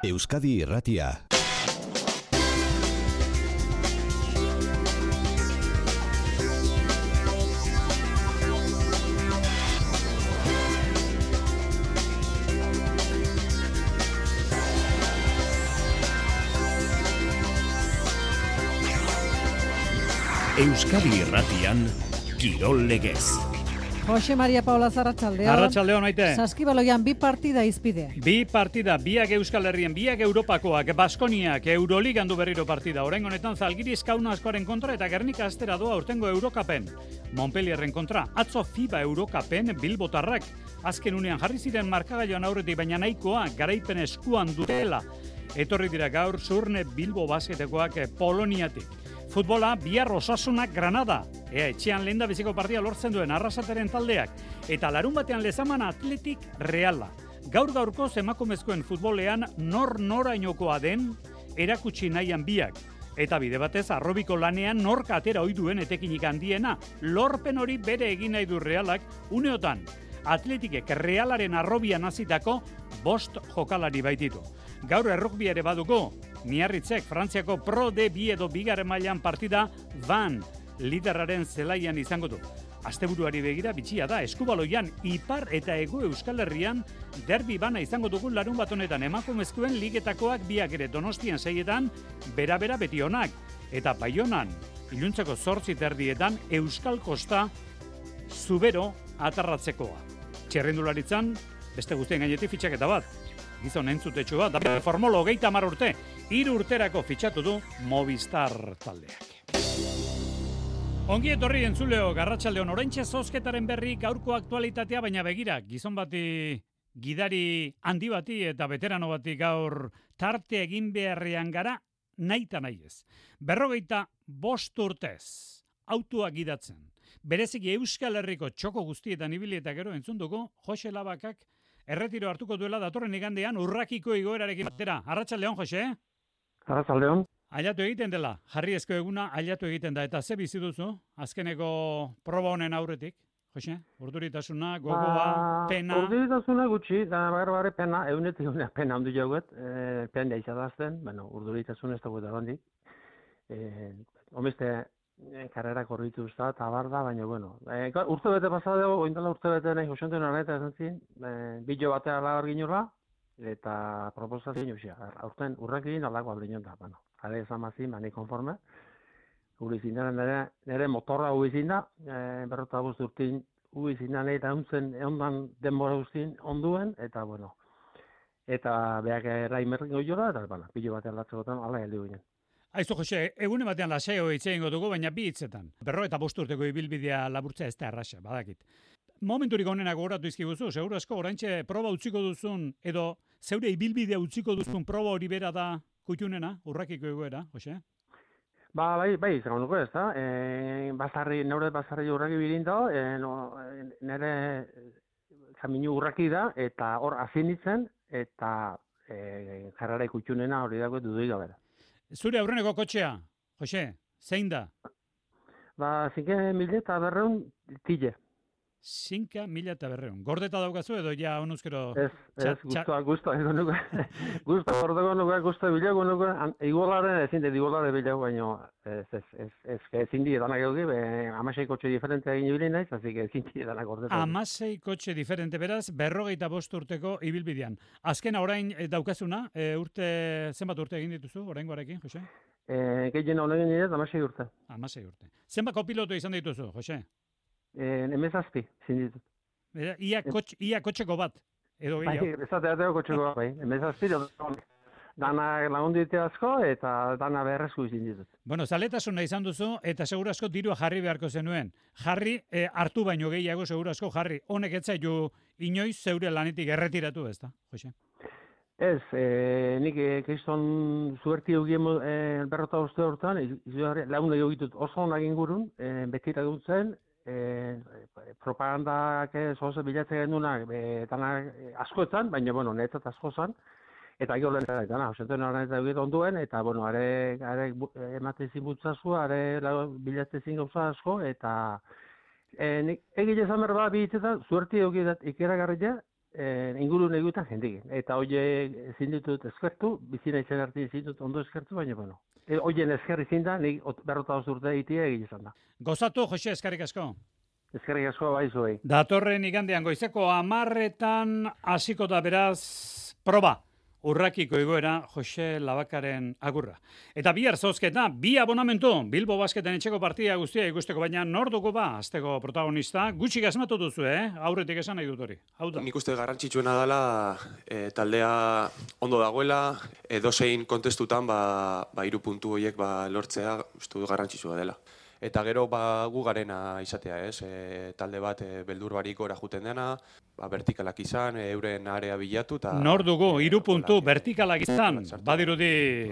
Euskadi Irratia. Euskadi Irratian, Kirol Legez. Jose Maria Paula Arratsaldeon. Arratsaldeon, Maite. Saskibaloian bi partida izpide. Bi partida, biak Euskal Herrien, biak Europakoak, Baskoniak, Euroligan du berriro partida. Oraingo honetan Zalgiris Kaunaskoaren kontra eta Gernika astera doa aurtengo Eurokapen. Montpellierren kontra, atzo FIBA Eurokapen Bilbotarrak. Azken unean jarri ziren markagailoan aurretik, baina nahikoa garaipen eskuan dutela. Etorri dira gaur Zurne Bilbo basketekoak Poloniatik. Futbola, bihar Osasunak Granada. Ea etxean lehendabiziko partida lortzen duen Arrasateren taldeak. Eta larun batean Lezaman Athletic Reala. Gaur-gaurko emakumezkoen futbolean norainokoa den erakutsi nahian biak. Eta bide batez arrobiko lanean nork atera ohi duen etekinik handiena. Lorpen hori bere egin nahi du Realak uneotan. Atletikek Realaren arrobian hasitako 5 jokalari baititu. Gaur errukbi ere baduko. Miarritzek Frantziako Pro D2 edo bigarren mailan partida Van liderraren zelaian izango du. Asteburuari begira bitxia da, Eskubaloian Ipar eta Hego Euskal Herrian derbi bana izango dugu larun bat honetan emakumezkoen ligetakoak biak ere Donostian 6etan, bera beti onak. Eta Baionan, iluntzeko 8:30 Euskal Kosta Zubero atarratzekoa. Txerrendularitzan, beste guztien gainetik fitxaketa bat. Gizon entzutetxu bat, da formolo 30 urte, 3 urterako fitxatu du Movistar taldeak. Ongi etorri entzuleo, Arratsaldeon oraintxe zozketaren berri gaurko aktualitatea, baina begira, gizon bati, gidari handi bati eta veterano bati gaur tarte egin beharrean gara, nahita nahi ez. 45 urtez, autoa gidatzen. Bereziki Euskal Herriko txoko guztietan ibili eta gero entzun dugu, Jose Labakak erretiro hartuko duela datorren igandean urrakiko igoerarekin batera. Arratsaldeon, Jose? Arratsaldeon. Ailatu egiten dela, jarriezko eguna ailatu egiten da. Eta ze bizi duzu, azkeneko proba honen aurretik, Jose? Urduritasuna, gogoa, pena? Urduritasuna gutxi, da bare pena, eunetik pena handi jauet, pena izadazten, urduritasuna ez dago da handik. Homeste, karrera korritu usta, eta bar da, baina, urte bete pasadeo, oindala urte bete nahi josentzen horreta esan zin, bilo batea lagar ginurra, eta proposazio usia, aurten urrekin alako aldinon da, jare esan mazin, mani konforme, gure izindaren nire motorra hui zinda, berrota urtin hui zindan eta ondan denbora guztin onduen, eta eta beak erraimerrik goiola, eta bilo batean latzegotan, ala heldu ginen. Aizu, Jose, egune batean laseo hitz egingo dugu, baina bi hitzetan. 45 urteko ibilbidea laburtzea ez da erraza, badakit. Momenturik honenak gogoratu izkiguzu, seguru asko oraintxe proba utziko duzun, edo zeure ibilbidea utziko duzun proba hori bera da kutxunena, urrakiko egoera, Jose? Bai, izango nuko ez da. Neure basarri urraki bilinda, nire kaminu urraki da, eta hor azinitzen, eta jarrara kutxunena hori dago dudik gabera. Zure aurreneko kotxea, Jose, zein da? 5.200 tile. 5.200. Gordeta daukazu edo ja honuzkero? Ez, guztua ego nuke. Guztua gordeko nuke, guztua bilago nuke. Igolaren ezin dut igolare bilago, baina ezin di edanak egoki, 16 kotxe diferente egin ibili naiz, azik ezin di edanak gordeta. 16 kotxe diferente, beraz, 45 urteko ibilbidean. Azkena orain daukazuna, zenbat urte egin dituzu, oraingoarekin, Jose? Gehien honen nire, 16 urte. 16 urte. Zenbat kopilotu izan dituzu, Jose? Emezazpi, zinditut. Ia kotxeko bat, edo gehiago? Ezateateko kotxeko bat, bai. Emezazpi, dana lagundite asko, eta dana beharrezko zinditut. Zaletasuna izan duzu, eta seguru asko dirua jarri beharko zenuen. Jarri, hartu baino gehiago seguru asko jarri. Honek ez zaitu inoiz zeure lanetik erretiratu ez da, Jose? Ez, nik kriston zuerti egin berrota uste hortan, lagun egitut oso honak ingurun, betira dutzen, propagandak zoze bilatzen gendunak askoetan, baina, netzat asko zan, eta gero lehen eta osenten horren eta egit onduen, eta, are ematen zinbutzazu, are bilatzen zin gauza asko, eta egile zan berba bihitzetan, zuerti egit ikeragarria, ingurune egutan jendik. Eta hoie ezin ditut eskertu, bizina izan arte ezin ditut ondo eskertu, baina bueno. Hoien eskerri izin da, nik 45 urte egitea egin izan da. Gozatu, Jose, eskerrik asko. Eskerrik asko bai zuei. Datorren igandean goizeko 10:00 hasiko da beraz proba. Urrakiko egoera Jose Labakaren agurra. Eta bihar zozketa, 2 abonamentu, Bilbo Basketen etxeko partida guztia ikusteko, baina nor dugu ba, azteko protagonista, gutxik asmatu duzu, aurretik esan nahi dut hori. Hau da. Nik uste garrantzitsuena dela taldea ondo dagoela, edozein kontestutan 3 puntu horiek lortzea uste dut garrantzitsua dela. Eta gero gu garena izatea, talde bat beldur barik gora juten dena, vertikalak izan, euren area bilatu. Nor dugu, 3 puntu vertikalak izan, badirudi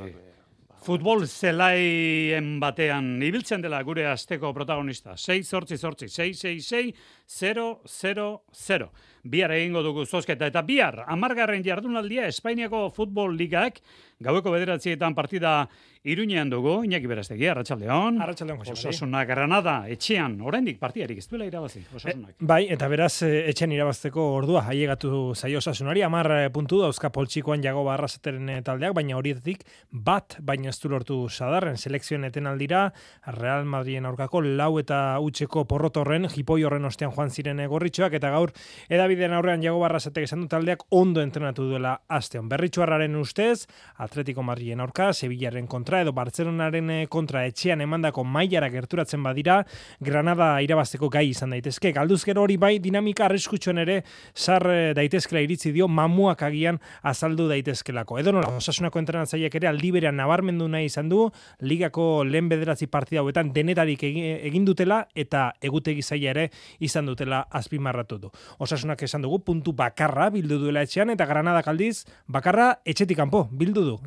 futbol zelaien batean ibiltzen dela gure asteko protagonista. 6-8-6-6-6-0-0-0. Bihar egingo dugu zozketa. Eta bihar, 10. jardunaldia Espainiako Futbol Ligak, gaueko 9:00 partida Iruñean dugu, Iñaki Berastegi, Arratsaldeon. Arratsaldeon, Jose Mari. Osasuna Granada, etxean, oraindik partidarik ez duela irabazi, Osasunak. Bai, eta beraz, etxean irabazteko ordua, ailegatu zaio Osasunari, 10 puntu dauzka poltsikoan Jagoba Arrasateren taldeak, baina horietatik bat, baina ez du lortu Sadarren selekzioen etenaldira, Real Madriden aurkako 4-0 porrotorren, jipoi horren ostean joan ziren gorritxoak, eta gaur edabideen aurrean Jagoba Arrasatek esan du taldeak ondo entrenatu duela asteon. Berritxuarraren ustez, Atletico Madriden aurka, Sevillaren kontra, edo Bartzelonaren kontra etxean emandako mailara gerturatzen badira, Granada irabazteko gai izan daitezke. Galduzkero hori bai dinamika arriskutsuan ere sar daitezkela iritzi dio, mamuak agian azaldu daitezkelako. Edo nola, Osasunako entrenatzaileak ere aldi berean nabarmendu nahi izan du, ligako lehen 9 partida hauetan denetarik egin dutela eta egutegi zaila ere izan dutela azpimarratu du. Osasunak esan dugu puntu bakarra bildu duela etxean eta Granadak aldiz bakarra etxetik kanpo bildu du.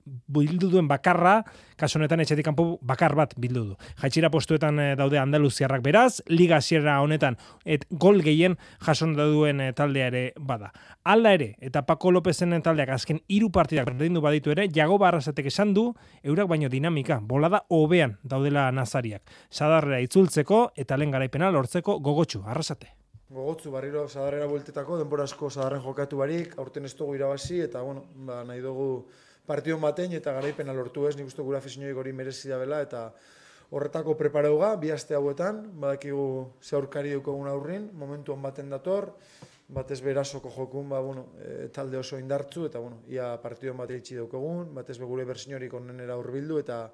Bildu duen bakarra, kasu honetan etxetik kanpo bakar bat bildu du. Jaitsira postuetan daude andaluziarrak beraz, liga hasiera honetan gol gehien jason duen taldea ere bada. Hala ere, eta Paco Lopezen taldeak azken 3 partidak berdindu baditu ere, Jagoba Arrasatek esan du, eurak baino dinamika, bolada hobean daudela nazariak. Sadarrera itzultzeko eta lehen garaipena lortzeko gogotsu, Arrasate. Gogotzu barriro Sadarrera bueltetako, denbora asko Sadarren jokatu barik, aurten ez dugu irabazi, eta nahi dugu partidon batein eta garaipena lortu ez, nik uste gura afizinioik hori merezi dabela, eta horretako preparauga, 2 aste hauetan, badakigu ze aurkari dukogun aurrin, momentuan baten dator, batez berazoko jokun, talde oso indartzu, eta ia partidon bat eitsi daukogun, batez be gure bersiniorik onenera hurbildu, eta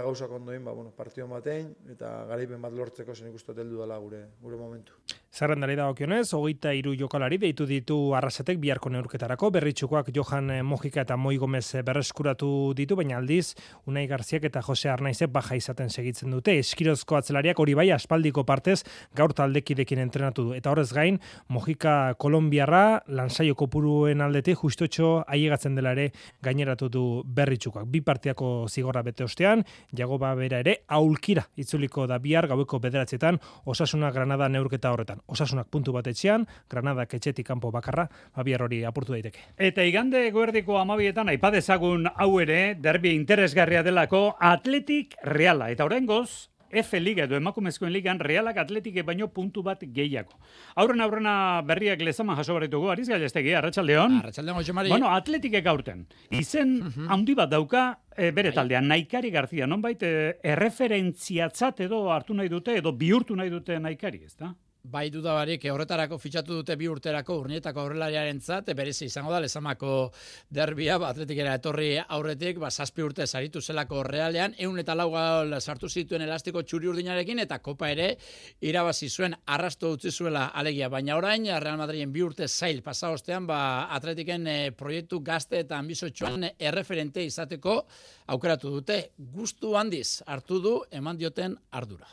gauzak ondoin, partidon batein, eta garaipen bat lortzeko zen ikustu teldu dela gure momentu. Zerrendari dagokionez, 23 jokalari deitu ditu Arrasatek biharko neurketarako, berritxukoak Johan Mojika eta Moi Gomez berreskuratu ditu, baina aldiz, Unai Garziak eta Jose Arnaizek baja izaten segitzen dute. Eskirozko atzelariak hori bai aspaldiko partez gaur taldekidekin entrenatu du. Eta horrez gain, Mojika kolombiarra, lansaio kopuruen aldetik justotxo aiegatzen dela ere gaineratu du berritxukoak. 2 partiako zigorra bete ostean, Jagoba bera ere aulkira itzuliko da bihar gaueko 9:00 Osasuna Granada neurketa horretan. Osasunak puntu bat etxean, Granadak etxetik kanpo bakarra, bihar hori apurtu daiteke. Eta igande eguerdiko 12:00 aipa dezagun hau ere, derbi interesgarria delako Atletik Reala. Eta oraingoz, F Liga edo emakumezkoen ligan Realak Atletike baino puntu bat gehiago. Aurrena berriak Lezama jaso barritugu, Ariz Galestegi, Arratsaldeon. Arratsaldeon, Jose Mari. Bueno, Atletike gaurten. Izen handi bat dauka bere taldean, Naikari Garzia, nonbait erreferentziatzat edo hartu nahi dute, edo bihurtu nahi dute Naikari, ezta? Bai dudabarik, horretarako fitxatu dute 2 urterako Urnietako aurrelariarentzat, berezi izango da Lezamako derbia, Atletikera etorri aurretik, 7 urte saritu zelako Realean, 104 gol sartu zituen elastiko txuri urdinarekin, eta kopa ere irabazi zuen, arrasto utzi zuela alegia, baina orain Real Madriden 2 urte zail pasa ostean, Atletiken proiektu gazte eta ambizotxoan erreferente izateko aukeratu dute, gustu handiz hartu du eman dioten ardura.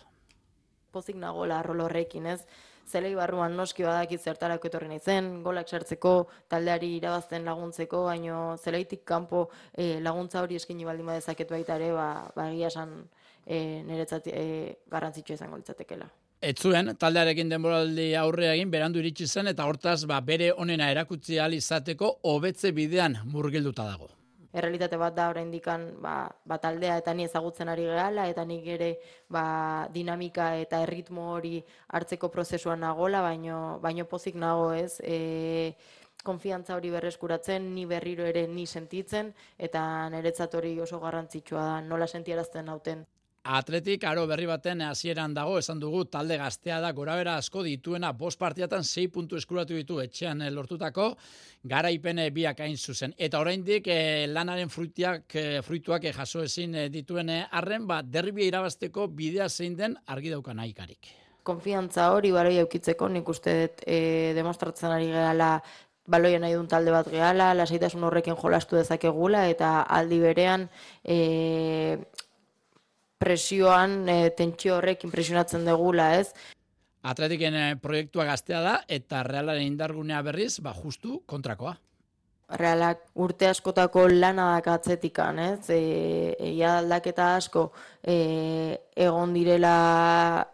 Pozik nagola rol horrekin, ez? Zelei barruan noski badakit zertarako etorri naizen, golak sartzeko, taldeari irabazten laguntzeko, baino zeleitik kanpo laguntza hori eskaini baldin badezaket baita ere, egia esan niretzat garrantzitsua izango litzatekeela. Ez zuen, taldearekin denboraldi aurrea egin, berandu iritsi zen, eta hortaz bere onena erakutsi ahal izateko hobetze bidean murgilduta dago. errealitate bat da oraindikan taldea eta ni ezagutzen ari gehala eta nik ere dinamika eta erritmo hori hartzeko prozesuan nagola, baino pozik nago, ez? Konfiantza hori berreskuratzen, ni berriro ere ni sentitzen, eta niretzat hori oso garrantzitsua da, nola sentiarazten nauten. Atletik aro berri baten hasieran dago, esan dugu talde gaztea da, gorabera asko dituena, 5 partiatan 6 puntu eskuratu ditu etxean lortutako, garaipen biak hain zuzen. Eta oraindik lanaren fruituak jaso ezin dituen arren, derbia irabazteko bidea zein den argi dauka nahikarik. Konfiantza hori baloi eukitzeko, nik uste demostratzen ari gehala baloia nahi duen talde bat gehala, lasaitasun horrekin jolastu dezakegula, eta aldi berean presioan, tentsio horrek impresionatzen degula, ez? Atletiken proiektua gaztea da, eta Realaren indargunea berriz, justu kontrakoa. Realak urte askotako lana dak atzetikan, ez? Egia aldaketa asko egon direla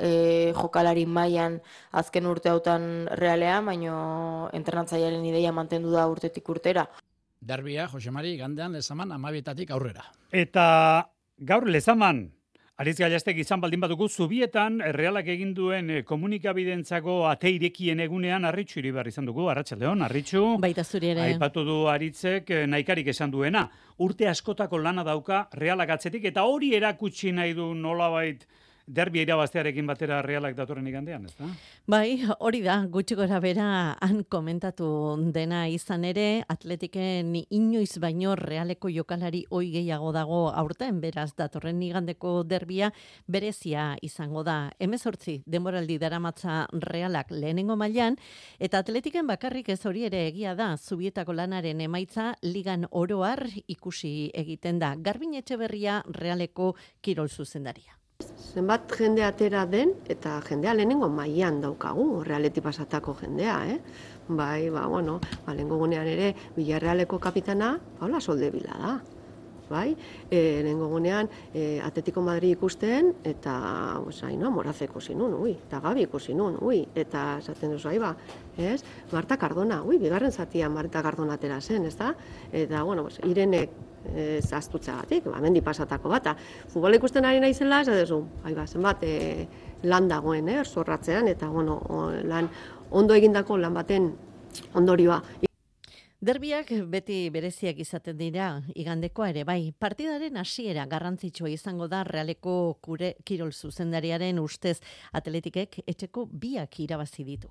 jokalari mailan azken urte hautan Realean, baino entrenatzailearen ideia mantendu da urtetik urtera. Derbia, Jose Mari, igandean Lezaman 12 aurrera. Eta gaur Lezaman, Aritz Gallastek izan baldin badugu, Zubietan Realak egin duen komunikabidentzako ate irekien egunean Arritxu Iribar izan dugu. Arratsaldeon, Arritxu. Baita zuri ere. Aipatu du Aritzek nahikarik esan duena. Urte askotako lana dauka Realak atzetik, eta hori erakutsi nahi du nolabait derbia irabaztearekin batera Realak datorren igandean, ez da? Bai, hori da, gutxi gora bera han komentatu dena izan ere, Atletiken inoiz baino Realeko jokalari oi gehiago dago aurten, beraz datorren igandeko derbia berezia izango da. 18 denboraldi daramatza Realak lehenengo mailan, eta Atletiken bakarrik ez hori ere egia da, Zubietako lanaren emaitza ligan oroar ikusi egiten da. Garbin Etxeberria Realeko kirol zuzendaria. Zenbat jende atera den, eta jendea lehenengo mailan daukagu, Realeti pasatako jendea, Bai, lehenengo gunean ere, Villarrealeko kapitana, Paula Soldevila da. Bai, lehenengo gunean, Atletico Madrid ikusten, eta, Moraz ikusi nun, eta Gabi ikusi nun, eta esaten duzu, Marta Cardona, bigarren zatian Marta Cardona atera zen, ez da? Eta, Irenek, zaztutzagatik, mendi pasatako bata. Futbola ikusten ari naizela, zenbat lan dagoen, zorratzean, eta lan ondo egindako lan baten ondorioa. Derbiak beti bereziak izaten dira, igandekoa ere bai. Partidaren hasiera garrantzitsua izango da Realeko kirol zuzendariaren ustez Atletikek etxeko 2 irabazi ditu.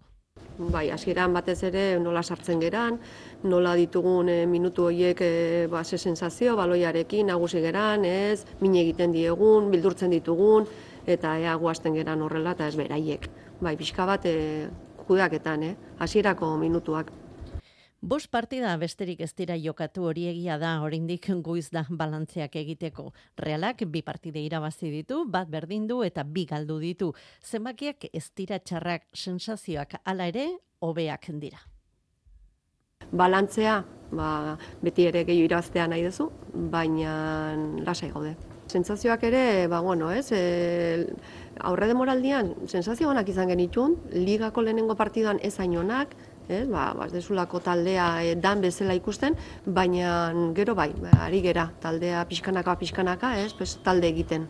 Bai, hasieran batez ere nola sartzen geran, nola ditugun minutu horiek ze sensazio, baloiarekin nagusi geran, min egiten diegun, bildurtzen ditugun, eta ea guazten geran horrela, eta ez beraiek. Bai, pixka bat kudeaketan, hasierako minutuak. 5 partida besterik ez dira jokatu, hori egia da, oraindik goiz da balantzeak egiteko. Realak 2 partide irabazi ditu, 1 berdindu eta 2 galdu ditu. Zenbakiak ez dira txarrak, sensazioak hala ere hobeak dira. Balantzea, beti ere gehiago irabaztea nahi duzu, baina lasai gaude. Sentsazioak ere, aurre demoraldian, sentsazio onak izan genitun, ligako lehenengo partidoan ez hain onak, ez desulako taldea dan bezala ikusten, baina gero bai, ari gera, taldea pixkanaka, talde egiten.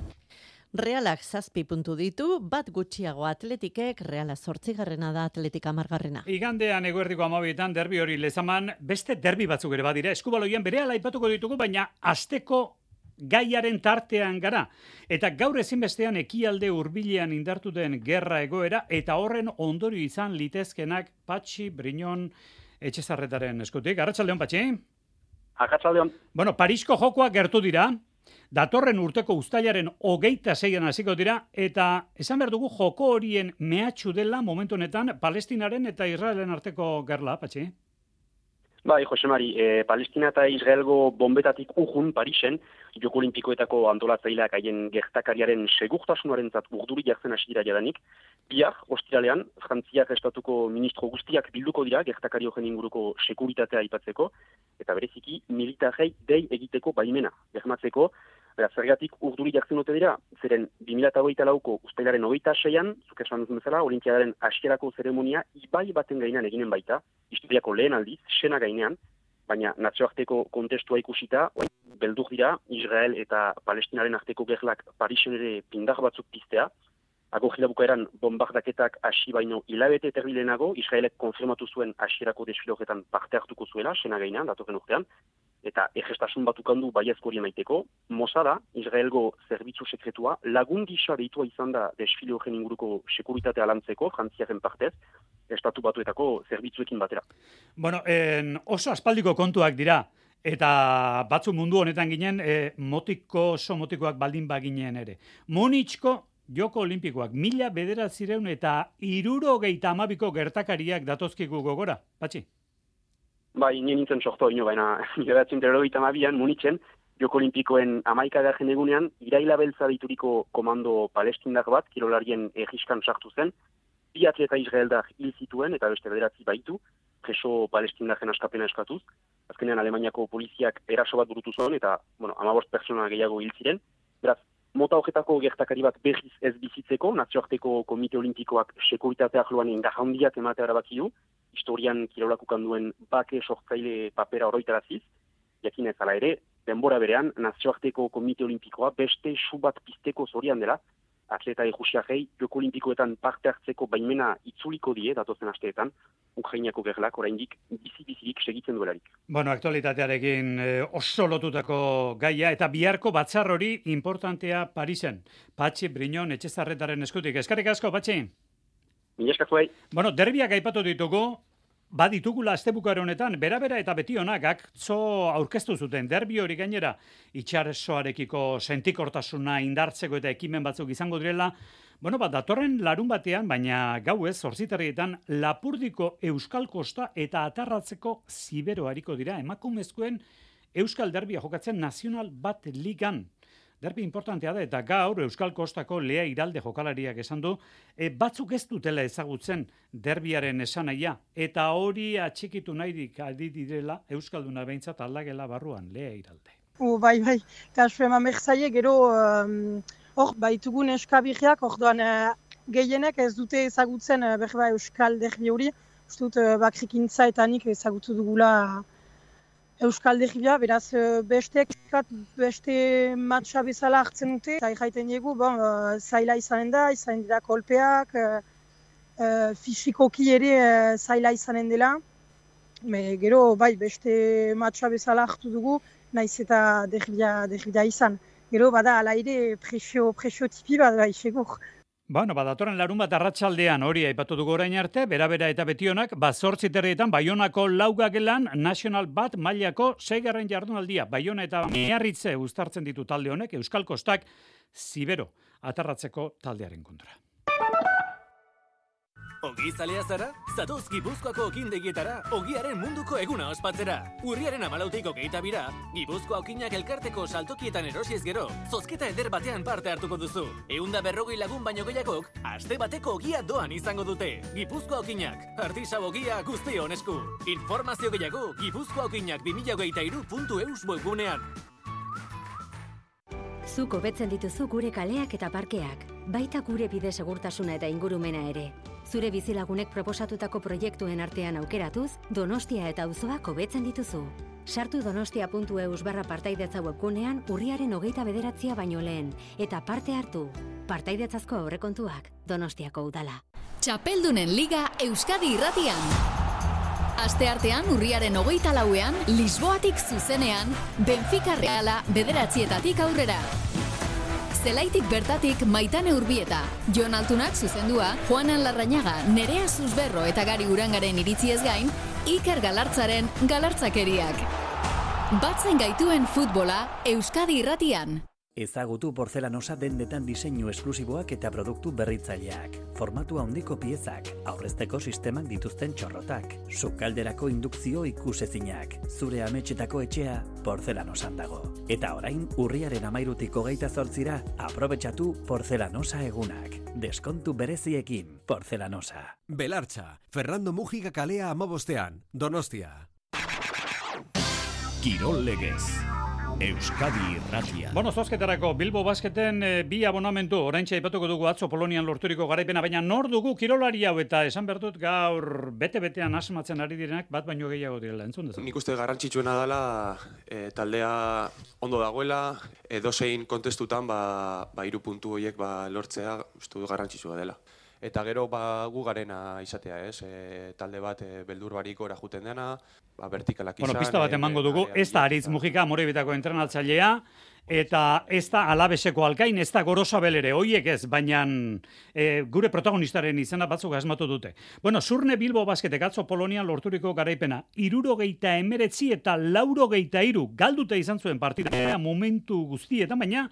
Realak 7 puntu ditu, 1 gutxiago Atletikek, Reala 8garrena da, Atletik 10garrena. Igandean eguerdiko 12etan derbi hori Lezaman, beste derbi batzuk ere badira, eskubaloian berehala aipatuko ditugu, baina asteko gaiaren tartean gara. Eta gaur ezinbestean ekialde hurbilean indartu den gerra egoera, eta horren ondorio izan litezkenak Patxi Briñon Etxezarretaren eskutik. Arratsaldeon, Patxi? Arratsaldeon. Parisko jokoak gertu dira, datorren urteko uztailaren 26an hasiko dira, eta esan behar dugu joko horien mehatxu dela momentu honetan Palestinaren eta Israelen arteko gerla, Patxi? Bai, Jose Mari, Palestina eta Israelgo bombetatik urrun Parisen, Joko Olimpikoetako antolatzaileak haien gertakariaren segurtasunarentzat urduri jartzen hasi dira jadanik. Bihar, ostiralean, Frantziak estatuko ministro guztiak bilduko dira gertakari horren inguruko sekuritatea aipatzeko, eta bereziki militarrei dei egiteko baimena bermatzeko. Zergatik urduri jartzen dute dira, zeren 2024ko uztailaren 26an, zuk esan duzun bezala, Olinpiadaren hasierako zeremonia ibai baten gainean eginen baita, historiako lehen aldiz, Sena gainean, baina nazioarteko kontestua ikusita, beldur dira, Israel eta Palestinaren arteko gerlak Parisen ere pindar batzuk piztea. Agorri bukaeran bombardaketak hasi baino hilabete terbilenago, Israelek konfirmatu zuen hasierako desfile horretan parte hartuko zuela, sena gainean, datorren urtean, eta egestasun bat ukandu baiezko hori maiteko. Mossada, Israelgo zerbitzu sekretua, lagun gisa deitua izan da desfile horren inguruko sekuritatea lantzeko, Frantziaren partez, Estatu Batuetako zerbitzuekin batera. Bueno, oso aspaldiko kontuak dira, eta batzu mundu honetan ginen, oso motikoak baldin baginen ere. Munitzko Joko Olimpikoak 1900 eta 72ko gertakariak datozkigu gogora, Patxi? Bai, nien nintzen sorto ino, baina 1982an Munitzen, Joko Olimpikoen 11. egunean, iraila beltza deituriko komando palestindar bat, kirolarien egiskan sartu zen, 2 atleta israeldar hil zituen eta beste 9 baitu, preso palestindaren askapena eskatuz. Azkenean Alemaniako poliziak eraso bat burutu zuen eta, 15 pertsona gehiago hil ziren. Beraz, mota horretako gertakari bat berriz ez bizitzeko, nazioarteko komite olimpikoak sekuritatea arloan indarhandiak ematea erabaki du, historian kirolak ukanduen bake sortzaile papera oroitaraziz, jakinez ala ere, denbora berean, nazioarteko komite olimpikoa beste su bat pizteko zorian dela, atleta ejusiarrei Joko Olimpikoetan parte hartzeko baimena itzuliko die, datozen asteetan, Ukrainako gerlak oraindik bizi-bizirik segitzen duelarik. Bueno, aktualitatearekin oso lotutako gaia, eta biharko batzar hori importantea Parisen. Patxi Briñon Etxezarretaren eskutik. Eskerrik asko, Patxi? Mila esker zuei. Bueno, derbiak aipatu ditugu, baditugula astebukaro honetan, bera eta betionak atzo aurkeztu zuten derbi hori gainera itxarsoarekiko sentikortasuna indartzeko eta ekimen batzuk izango direla. Bueno, datorren larun batean, baina gauez, 8:00 Lapurdiko Euskal Kosta eta Atarratzeko Zibero hariko dira emakumezkoen Euskal Derbia jokatzen Nazional Bat Ligan. Derbi importantea da, eta gaur Euskal Kostako Lea Iralde jokalariak esan du, batzuk ez dutela ezagutzen derbiaren esanaia, eta hori atxikitu nahirik adi direla Euskalduna behintzat aldagela barruan, Lea Iralde. Bai, kasu eman behzaie, gero hor baitugun eskabirriak, orduan gehienek ez dute ezagutzen Euskal Derbi hori, uste dut bakrikintza eta nik ezagutu dugula Euskal Derbia, beraz beste matxa bezala hartzen dute, eta jaiten dugu, zaila izanen dira kolpeak, fisikoki ere zaila izanen dela, gero beste matxa bezala hartu dugu, naiz eta derbia izan. Gero bada ala ere presio tipi bat segur. Bueno, datorren larun bat arratsaldean hori aipatu dugu orain arte, bera eta betionak, 8:00 Baionako Laugagelan National Bat mailako 6. jardunaldia. Baiona eta Miarritze uztartzen ditu talde honek, Euskal Kostak Zibero Atarratzeko taldearen kontra. Ogi zalea zara? Zatoz Gipuzkoako okindegietara, ogiaren munduko eguna ospatzera. Urriaren 14 22 Gipuzkoa okinak elkarteko saltokietan erosiez gero, zozketa eder batean parte hartuko duzu. 140 lagun baino gehiagok, aste bateko ogia doan izango dute. Gipuzkoa okinak, artisau ogia guztion esku. Informazio gehiago, gipuzkoaokinak2023.eus webgunean. Zuk hobetzen dituzu gure kaleak eta parkeak, baita gure bide segurtasuna eta ingurumena ere. Zure bizilagunek proposatutako proiektuen artean aukeratuz, Donostia eta auzoak hobetzen dituzu. Sartu donostia.eus/partaidetza webgunean urriaren 29 baino lehen, eta parte hartu. Partaidetzazko aurrekontuak Donostiako udala. Txapeldunen Liga Euskadi Irratian. Asteartean urriaren 24ean, Lisboatik zuzenean, Benfica Reala 9:00 aurrera. Zelaitik bertatik Maitane Urbieta, Jon Altunak zuzendua, Juanan Larrañaga, Nerea Zuzberro eta Gari Urangaren iritziez gain, Iker Galartzaren galartzakeriak. Batzen gaituen futbola Euskadi Irratian. Ezagutu Porzelanosa dendetan diseinu esklusiboak eta produktu berritzaileak. Formatu handiko piezak, aurrezteko sistemak dituzten txorrotak, sukalderako indukzio ikusezinak, zure ametxetako etxea Porzelanosan dago. Eta orain, urriaren 13 28 aprobetxatu Porzelanosa egunak. Deskontu bereziekin Porzelanosa. Belartza, Fernando Mujica kalea 15, Donostia. Kirol legez. Euskadi Irratia. Bueno, zozketarako Bilbo Basketen bi abonamentu, oraintxe aipatuko dugu atzo Polonian lorturiko garaipena, baina nor dugu kirolari hau eta esan behar dut gaur bete-betean asmatzen ari direnak bat baino gehiago direla, entzun dezu. Nik uste garrantzitsuena dela taldea ondo dagoela, edozein kontestutan 3 puntu horiek lortzea uste du garrantzitsua dela. Eta gero gu garena izatea, ez? Talde bat beldur barik ora juten dena, vertikalak izan. Bueno, pista bat emango dugu, ez da Aritz Mujika, Amorebitako entrenatzailea, eta ez da Alabeseko Alkain, ez da Gorosabel ere, hoiek ez, baina gure protagonistaren izena batzuk asmatu dute. Bueno, Zurne Bilbo Basketek atzo Polonian lorturiko garaipena, 79 eta 83 galdute izan zuen partida momentu guztietan, baina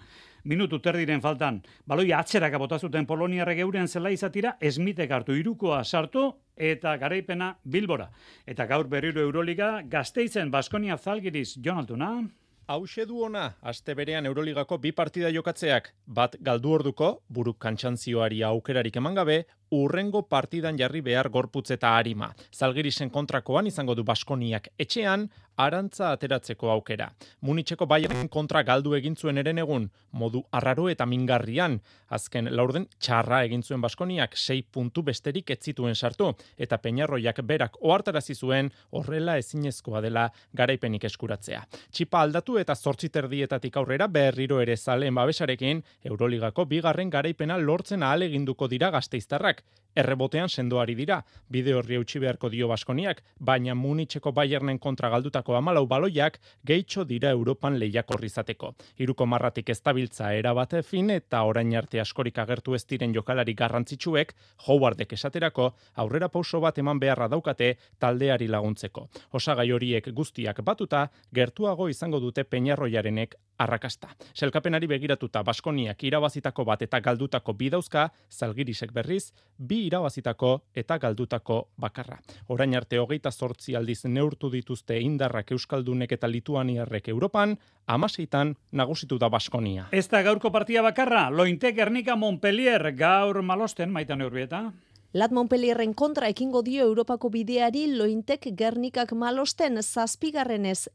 minutu terdiren faltan. Baloia atzeraka bota zuten poloniarrek euren zela izatira, Smitek hartu 3koa sartu eta garaipena Bilbora. Eta gaur berriro Euroliga, Gasteizen Baskonia Zalgiris, Jon Altuna. Hauxe du ona, aste berean Euroligako 2 partida jokatzeak, bat galdu orduko, buruk kantxantzioari aukerarik eman gabe, urrengo partidan jarri behar gorputz eta arima. Zalgirisen kontrakoan izango du Baskoniak etxean, arantza ateratzeko aukera. Munitzeko Bayern kontra galdu egin zuen eren egun, modu arraro eta mingarrian. Azken laurden txarra egin zuen Baskoniak 6 puntu besterik ez zituen sartu, eta Peñarroiak berak ohartarazi zuen horrela ezinezkoa dela garaipenik eskuratzea. Txipa aldatu eta 8 terdietatik aurrera berriro ere zaleen babesarekin Euroligako 2. garaipena lortzen ahaleginduko dira gasteiztarrak. Errebotean sendoari dira, bide horri eutsi beharko dio Baskoniak, baina Munitzeko Bayernen kontra galdutako 14 baloiak gehitxo dira Europan lehiakor izateko. 3 marratik ez dabiltza erabate fin eta orain arte askorik agertu ez diren jokalari garrantzitsuek, Howardek esaterako, aurrera pauso bat eman beharra daukate taldeari laguntzeko. Osagai horiek guztiak batuta, gertuago izango dute Peñarroiarenek arrakasta. Selkapenari begiratuta Baskoniak irabazitako bat eta galdutako 2 dauzka, Zalgirisek berriz, 2 irabazitako eta galdutako bakarra. Orain arte 28 aldiz neurtu dituzte indarrak euskaldunek eta lituaniarrek Europan, 16 nagusitu da Baskonia. Ez da gaurko partida bakarra, Lointe Gernika Montpellier gaur malosten, Maitan Urbieta. Lat Montpellierren kontra ekingo dio Europako bideari Lointek Gernikak malosten 7.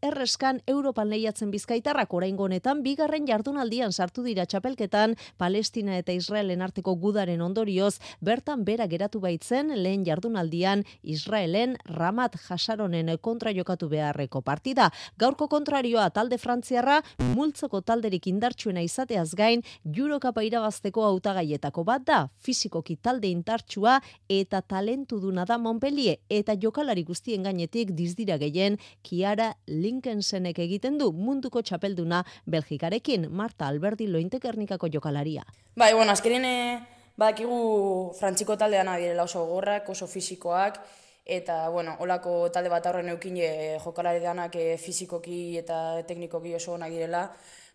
erreskan Europan lehiatzen bizkaitarrak oraingo honetan 2. jardunaldian sartu dira txapelketan Palestina eta Israelen arteko gudaren ondorioz bertan bera geratu baitzen lehen jardunaldian Israelen Ramat Hasaronen kontra jokatu beharreko partida. Gaurko kontrarioa talde frantziarra multzoko talderik indartsuena izateaz gain Eurokapa irabazteko hautagaietako bat da, fisikoki talde indartsua eta talentuduna da Montpellier eta jokalari guztien gainetik dizdira gehien Kiara Linkensenek egiten du munduko txapelduna Belgikarekin, Marta Alberdi Lointe Gernikako jokalaria. Bai, bueno, azkenean badakigu frantziko taldean direla oso gogorrak, oso fisikoak, eta, bueno, holako talde bat aurren eukin jokalari danak fisikoki eta teknikoki oso onak direla.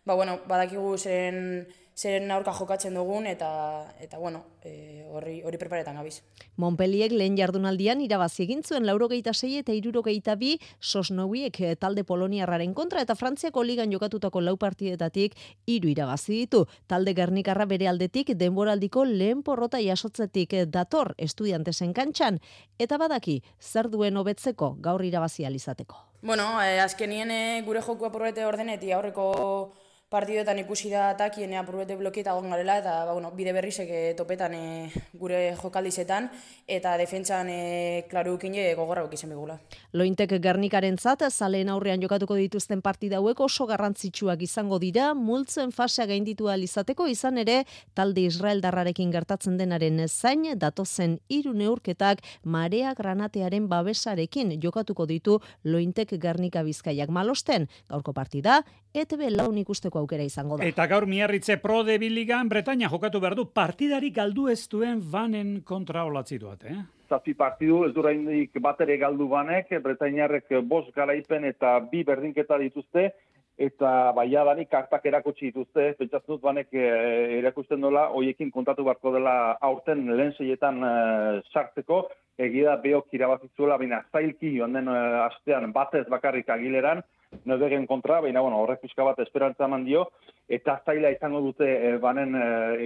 Ba, bueno, badakigu zeren aurka jokatzen dugun eta bueno, hori preparetan gabiz. Montpellier lehen jardunaldian irabazi egin zuen 86 eta 62 Sosnowiek talde poloniarraren kontra eta Frantziako ligan jokatutako 4 partidetatik 3 irabazi ditu. Talde Gernikarra bere aldetik denboraldiko lehen porrota jasotzetik dator Estudiantesen kantxan eta badaki zer duen hobetzeko gaur irabazi ahal izateko. Bueno, azkenien gure joku apurbete ordenetik aurreko partidoetan ikusi da atakien apurbete blokieta egon garela eta bueno, bide berrizek topetan gure jokaldizetan eta defentsan klarukin gogorra izan bigula. Lointek Gernikarentzat zaleen aurrean jokatuko dituzten partida hauek oso garrantzitsuak izango dira, multzen fasea gainditu ahal izateko izan ere talde Israeldarrarekin gertatzen denaren zain datozen 3 neurketak Marea Granatearen babesarekin jokatuko ditu Lointek Gernika Bizkaiak malosten. Gaurko partida ETB laun ikusteko aukera izango da. Eta gaur Miarritze Pro de Biligan Bretaña jokatu behar du partidari galdu ez duen Vanen kontra olatzi duat, Zazpi partidu ez duraindik batere galdu Vanek, Bretañarrek 5 garaipen eta 2 berdinketa dituzte, eta baiadanik kartak erakutsi dituzte, pentsatzen dut Vanek erakusten dola, hoiekin kontatu beharko dela aurten lehen seietan sartzeko, egia beok irabazizuela, baina zailki joan den astean batez bakarrik Agileran, Nobegen kontra, baina horrek pixka bat esperantza eman dio, eta zaila izango dute Vanen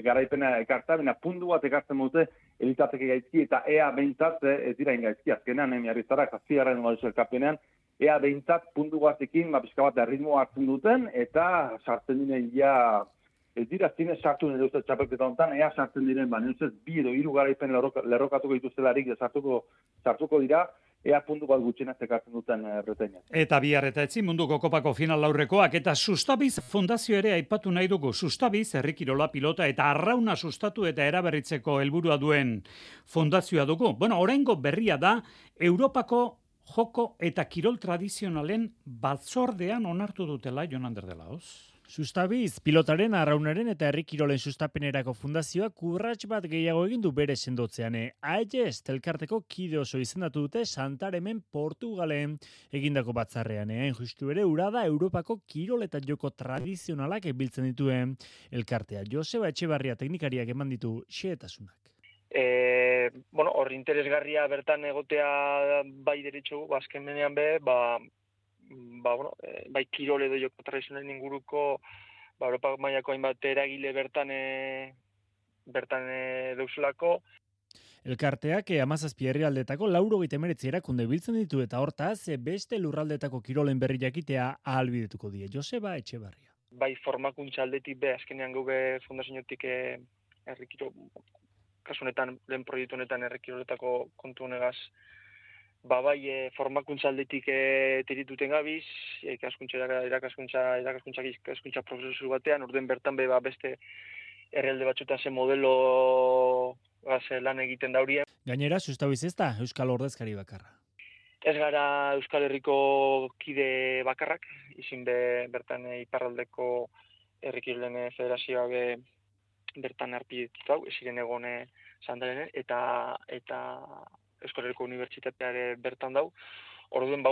garaipena ekarta, baina puntu bat ekartzen dute elitateke gaizki, eta ea behintzat ez dira ingaizki, azkenean Miarritzarrak 7. elkapenean, ea behintzat puntu batekin, pixka bat erritmoa hartzen duten, eta sartzen diren ja, ez dira zinez sartu nire uste txapelketa honetan, ea sartzen diren, nire ustez, 2 edo 3 garaipen lerrokatuko dituztelarik, sartuko dira, ea puntu bat gutxenak ekartzen duten Bretainak. Eta bihar eta etzi munduko kopako final laurrekoak eta Sustabiz fundazio ere aipatu nahi dugu. Sustabiz herrikirola pilota eta arrauna sustatu eta eraberritzeko helburua duen fundazioa dugu. Bueno, oraingo berria da Europako joko eta kirol tradizionalen batzordean onartu dutela Jon Ander de Laoz. Sustabiz, pilotaren, arraunaren eta herrikirolen sustapenerako fundazioak urrats bat gehiago egin du bere sendotzean. AES elkarteko kide oso izendatu dute Santaremen Portugalen egindako batzarrean. Hain justu ere urada Europako kirol eta joko tradizionalak biltzen dituen elkartea. Joseba Etxebarria teknikariak eman ditu xehetasunak. Hor interesgarria bertan egotea bai deritxu, azken menean bai kirol edo joko tradizionalen inguruko Europa mailako hainbat eragile bertan deuselako. Elkarteak 17 herrialdetako 99 erakunde biltzen ditu eta hortaz beste lurraldetako kirolen berri jakitea ahalbidetuko die. Joseba Etxebarria. Bai formakuntza aldetik azkenean gube fundaziotik herrikiro kasu honetan lehen proiektu honetan herrikiroletako kontu honegaz bai formakuntza aldetik tirituten gabiz, irakaskuntza prozesu batean, orden bertan beste herrialde batzutan ze modelo lan egiten daurien. Gainera, Sustabiz ez da Euskal Ordezkari bakarra. Ez gara Euskal Herriko kide bakarrak, izin bertan iparraldeko herrikirolen federazioa bertan arpidetuta, ziren egon Sandalenen, eta Euskal Herriko Unibertsitateare bertan dau. Orduan,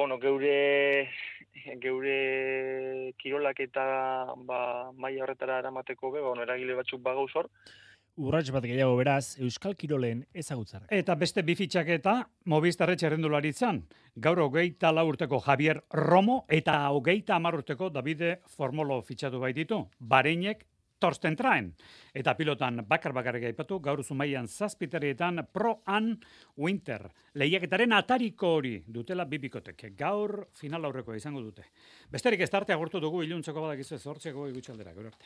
geure kirolak eta maila horretara eramateko eragile batzuk bagauz hor. Urrats bat gehiago beraz, Euskal Kirolen ezagutzarrak. Eta beste bi fitxaketa Movistar txerrendularitzan. Gaur 24 urteko Javier Romo eta 30 urteko Davide Formolo fitxatu baititu. Bareinek Torsten Traen. Eta pilotan bakar-bakarrik aipatu, gaur Zumaian 7 Pro-An Winter. Lehiaketaren atariko hori dutela bibikotek. Gaur final aurrekoa izango dute. Besterik ez tarte agurtu dugu iluntzeko badakizu 8 gutxaldera. Gero arte.